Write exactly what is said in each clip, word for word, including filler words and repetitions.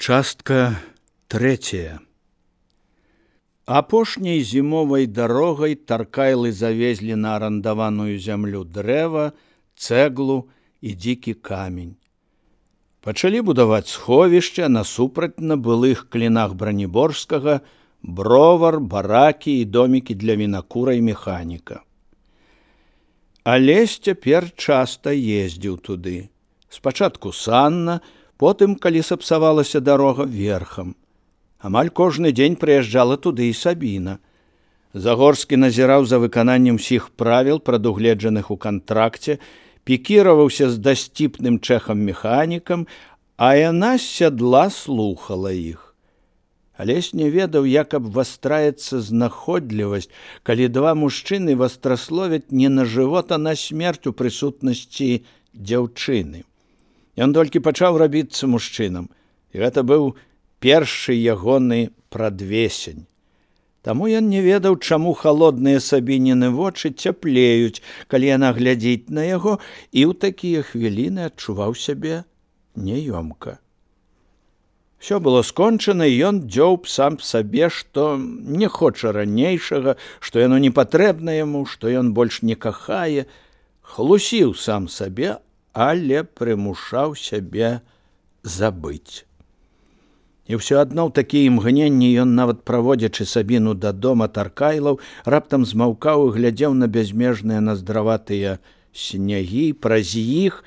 Частка третья. Апошняй зімовай дарогай таркайлы завезлі на арандаваную зямлю дрэва, цэглу і дзікі камень. Пачалі будаваць сховішча насупраць на былых клінах Браніборскага, бровар, баракі і домікі для вінакура і механіка. Алесь цяпер часта ездзіў туды. Спачатку санна, потым, калі сапсавалася дарога, верхам. Амаль кожны дзень прыязджала туды і Сабіна. Загорскі назіраў за выкананнем усіх правіл, прадугледжаных у кантракце, пікіраваўся з дасціпным чэхам-механікам, а яна з сядла слухала іх. Алесь не ведаў, як абвастраецца знаходлівасць, калі два мужчыны вастрасловяць не на жывот, а на смерць у прысутнасці дзяўчыны. Ён толькі пачаў рабіцца мужчынам, і гэта быў першы ягоны прадвесень. Таму ён не ведаў, чаму халодныя Сабініны вочы цяплеюць, калі яна глядзіць на яго, і ў такія хвіліны адчуваў сябе няёмка. Всё было скончана, і ён дзёўб сам сабе, што не хоча ранейшага, што яно не патрэбна яму, што ён больш не кахае, хлусіў сам сабе, але прымушаў сябе забыць. І ўсё адно ў такія імгненні ён, нават праводзячы Сабіну да дома Таркайлаў, раптам змаўкаў і глядзеў на бязмежныя наздраватыя снягі, праз іх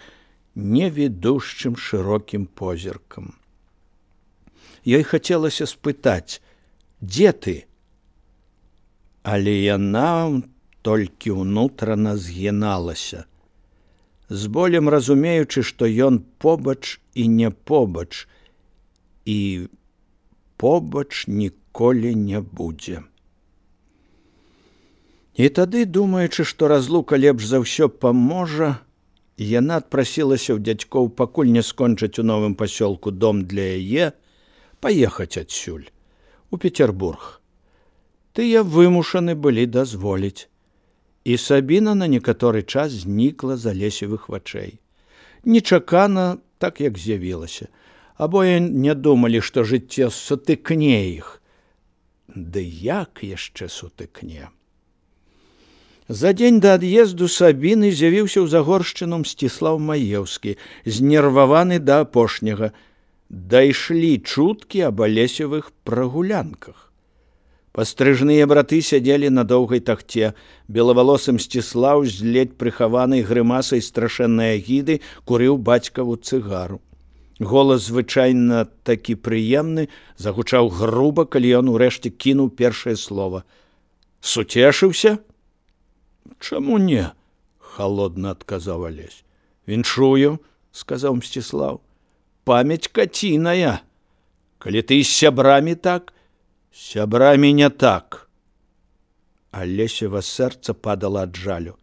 невідушчым шырокім позіркам. Ёй хацелася спытаць: «Дзе ты?» Але яна толькі ўнутрана згіналася, з болем разумеючы, што ён побач і не побач, і побач ніколі не будзе. І тады, думаючы, што разлука лепш за ўсё паможа, яна адпрасілася ў дзядзькоў, пакуль не скончаць у новым пасёлку дом для яе, паехаць адсюль, у Петербург. Тыя вымушаны былі дазволіць. І Сабіна на некаторы час знікла з Алесевых вачэй. Нечакана, так як з'явілася. Абое не думалі, што жыццё сутыкне іх. Ды як яшчэ сутыкне? За дзень да ад'езду Сабіны з'явіўся ў Загоршчыну Мсціслаў Маеўскі, знерваваны да апошняга. Дайшлі чуткі аб Алесевых прагулянках. Пастрыжныя браты сядзелі на доўгай тахце. Белавалосы Мсціслаў з ледзь прыхаванай грымасай страшэннай агіды курыў бацькаву цыгару. Голас звычайна такі прыемны загучаў груба, калі ён урэшце кінуў першае слова. «Суцешыўся?» «Чаму не?» – халодна адказаў Алесь. «Віншую», – сказаў Мсціслаў. «Памяць каціная. Калі ты з сябрамі так, сябрамі не так». Алесева сэрца падала ад жалю,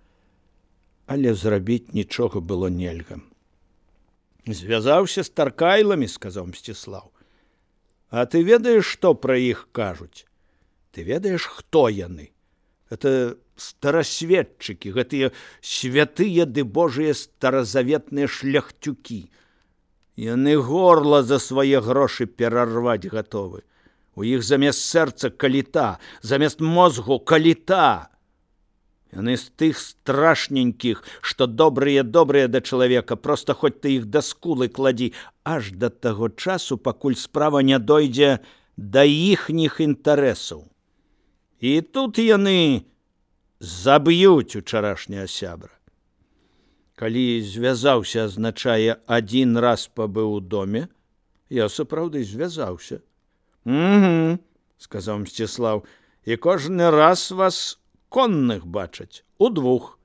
але зрабіць нічога было нельга. «Звязаўся з Таркайламі», – сказаў Мсціслаў. «А ты ведаеш, што пра іх кажуць? Ты ведаеш, хто яны? Это старасветчыкі, гэтыя святыя ды божыя старазаветныя шляхцюкі. Яны горла за свае грошы перарваць гатовы. У іх замест сэрца каліта, замест мозгу каліта. Яны з тых страшненькіх, што добрыя-добрыя да чалавека, проста хоць ты іх да скулы кладзі, аж да таго часу, пакуль справа не дойдзе да іхніх інтарэсаў. І тут яны заб'юць учарашняга сябра. Калі звязаўся азначае адзін раз пабыў у доме, я сапраўды звязаўся». «Угу», – сказаў Мсціслаў, – «і кожны раз вас конных бачаць, удвух.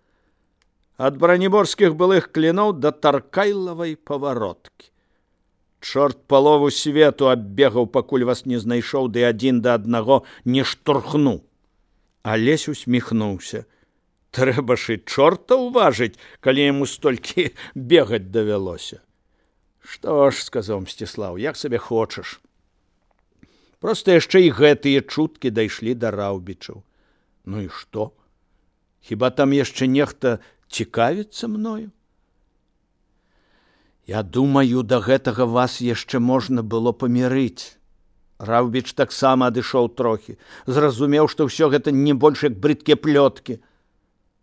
Ад браніборскіх былых кліноў да Таркайлавай павароткі. Чорт палову свету аббегаў, пакуль вас не знайшоў, ды адзін да аднаго не штурхну». Алесь усміхнуўся. «Трэба ж і чорта ўважыць, калі яму столькі бегаць давялося». «Што ж», – сказаў Мсціслаў, – «як сабе хочаш». Проста яшчэ і гэтыя чуткі дайшлі да Раўбічаў. Ну і што? Хіба там яшчэ нехта цікавіцца мною? Я думаю, да гэтага вас яшчэ можна было памірыць. Раўбіч таксама адышоў трохі, зразумеў, што ўсё гэта не больш як брыдкія плёткі.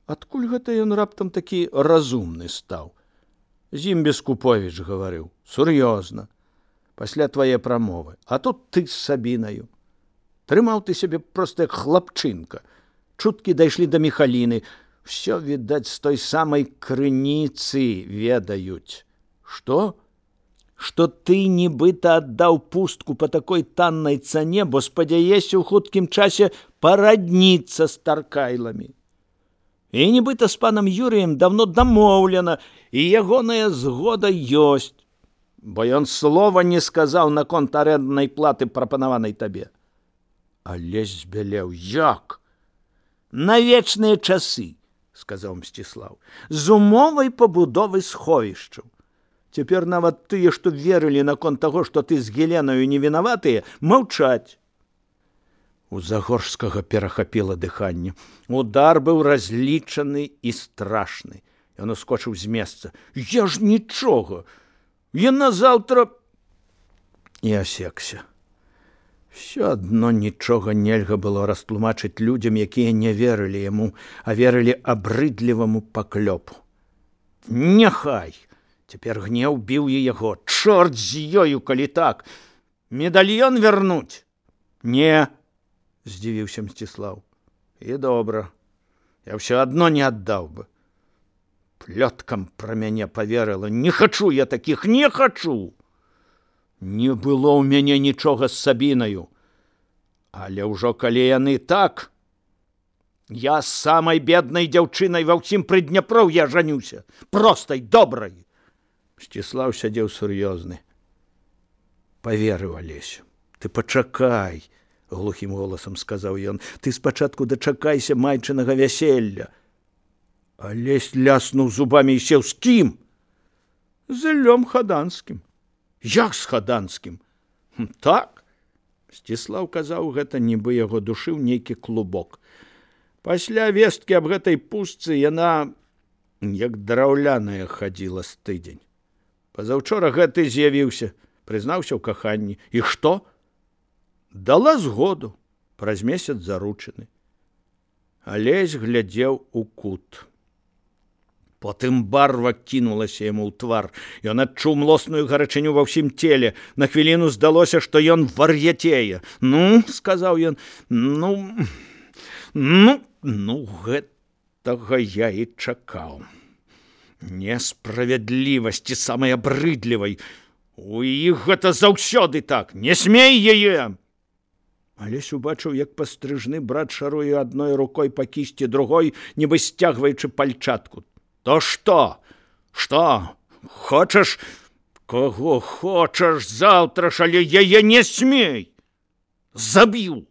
Адкуль гэта ён раптам такі разумны стаў? Зім Бескуповіч гаварыў, сур'ёзна, пасля твае прамовы, а тут ты з Сабінаю. Трымаў ты сябе проста як хлапчынка. Чуткі дайшлі да Міхаліны, всё, відаць, з той самай крыніцы ведаюць. Што? Што ты нібыта аддаў пустку па такой таннай цане, бо спадзяешся ў хуткім часе парадніцца з таркайламі. І нібыта з панам Юрыем давно дамоўлена, і ягоная згода ёсць, бо ён слова не сказаў наконт арэнднай платы, прапанаванай табе. Алесь збялеў. Як? На вечныя часы, сказаў Мсціслаў, з умовай пабудовы сховішчаў. Цяпер нават тыя, што верылі наконт таго, што ты з Геленаю не вінаватыя, маўчаць. У Загорскага перахапіла дыханне. Удар быў разлічаны і страшны. Ён ускочыў з месца. Я ж нічога. Яна заўтра... І асекся. Всё адно нічога нельга было растлумачыць людзям, якія не верылі яму, а верылі абрыдліваму паклёпу. Няхай! Цяпер гнеў біў яго. Чорт з ёю, калі так! Медальён вярнуць? Не, здзівіўся Мсціслаў. І добра. Я ўсё адно не аддаў бы. Плёткам пра мяне паверыла. Не хачу я такіх, не хачу! Не было ў мяне нічога з Сабінаю. Але ўжо калі яны так, я з самай беднай дзяўчынай ва ўсім Прыдняпроўі ажанюся. Простай, добрай. Мсціслаў сядзеў сур'ёзны. Паверыў Алесю. Ты пачакай, глухім голасам сказаў ён. Ты спачатку дачакайся майчынага вяселля. Алесь ляснуў зубамі і сеў. З кім? З Іллём Хаданскім. Як з Хаданскім? Так? Мсціслаў казаў гэта, нібы яго душыў нейкі клубок. Пасля весткі аб гэтай пустцы яна, як драўляная, хадзіла з тыдзень. Пазаўчора гэты з'явіўся, прызнаўся ў каханні. І што? Дала згоду, праз месяц заручаны. Алесь глядзеў у кут. Потым барва кінулася яму ў твар. Ён адчуў млосную гарачыню ва ўсім целе. На хвіліну здалося, што ён вар'яцее. Ну, сказаў ён, ну, ну, ну, гэтага я і чакаў. Несправядлівасці самай абрыдлівай. У іх гэта заўсёды так. Не смей яе! Алесь убачыў, як пастрыжны брат шаруе адной рукой па кісці, другой, нібы сцягваючы пальчатку. То што? Што? Хочаш? Каго хочаш заўтра ж, але яе не смей! Заб'ю!